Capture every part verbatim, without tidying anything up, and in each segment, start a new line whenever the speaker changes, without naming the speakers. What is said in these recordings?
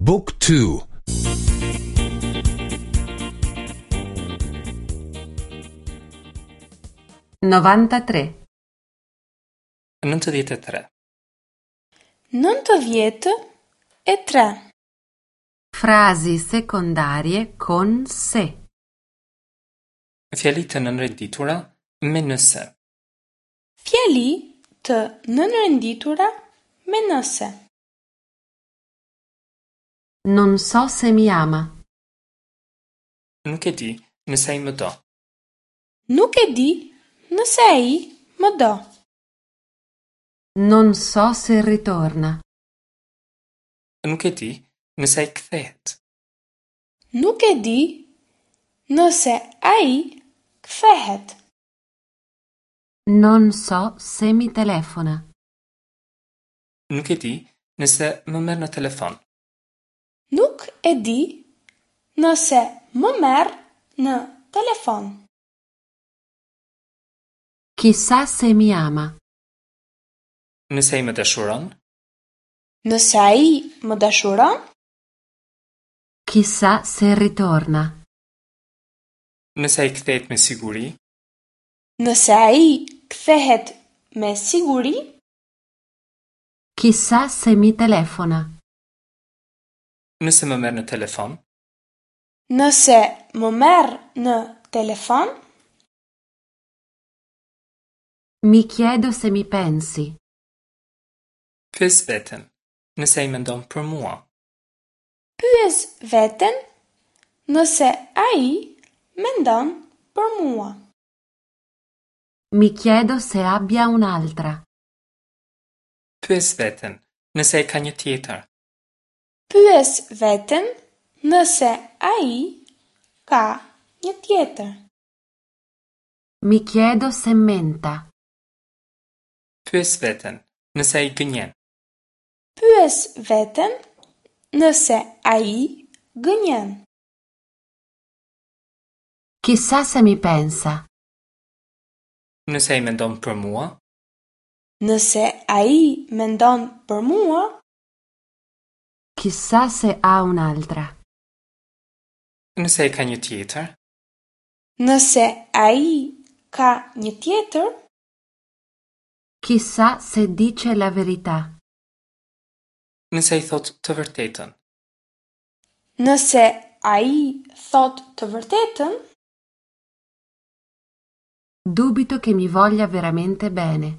Book two.
Novantatré.
Nëntëdhjetë e tre.
Nëntëdhjetë e tre.
Frasi secondarie con se.
Fjali të nënrenditura me nëse.
Fjali të nënrenditura me nëse.
Non so se mi ama.
Nuk e di nëse ai më do.
Nuk e di nëse ai më do.
Non so se ritorna.
Nuk e di nëse ai kthehet.
Nuk e di nëse ai kthehet.
Non so se mi telefona.
Nuk e di nëse më merr në telefon.
Nuk e di nëse më merr në telefon.
Chissà se mi ama.
Nëse ai më dashuron?
Nëse ai më dashuron?
Chissà se ritorna.
Nëse ai kthehet me siguri?
Nëse ai kthehet me siguri?
Chissà se mi telefona.
Nëse më merr në telefon?
Nëse më merr në telefon?
Mi chiedo se mi pensi.
Pyes veten, nëse ai mendon për mua.
Pyes veten nëse ai mendon për mua.
Mi chiedo se abbia un'altra.
Pyes veten, nëse ai ka një tjetër.
Pyes veten nëse ai ka një tjetër.
Mi chiedo se menta.
Pyes veten, nëse ai gënjen.
Pyes veten nëse ai gënjen.
Chissà se mi pensa.
Nëse ai mendon për mua?
Nëse ai mendon për mua?
Chissà se ha un'altra.
Nëse ai ka një tjetër?
Nëse ai ka një tjetër?
Chissà se dice la verità.
Nëse ai thotë të vërtetën.
Nëse ai thotë të vërtetën?
Dubito che mi voglia veramente bene.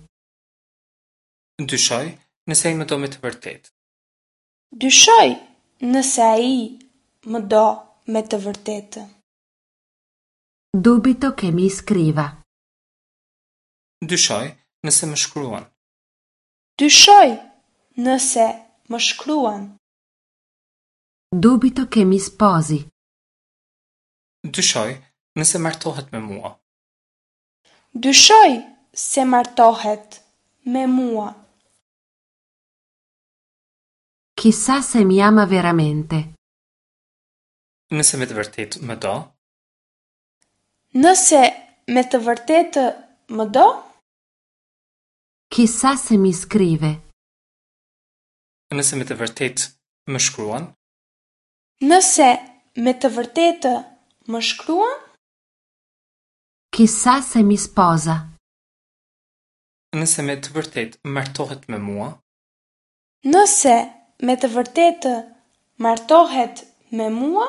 Dyshoj nëse ai më do me të vërtetë.
Dyshoj nëse ai më do me të vërtetë.
Dubito che mi scriva.
Dyshoj nëse më shkruan.
Dyshoj nëse më shkruan.
Dubito che mi sposi.
Dyshoj nëse martohet me mua.
Dyshoj se martohet me mua.
Chissà se mi ama veramente.
Nëse me të vërtetë më do?
Nëse me të vërtetë më do?
Chissà se mi scrive.
Nëse me të vërtetë më shkruan?
Nëse me të vërtetë më shkruan?
Chissà se mi sposa.
Nëse me të vërtetë martohet me mua?
Nëse me të vërtetë martohet me mua?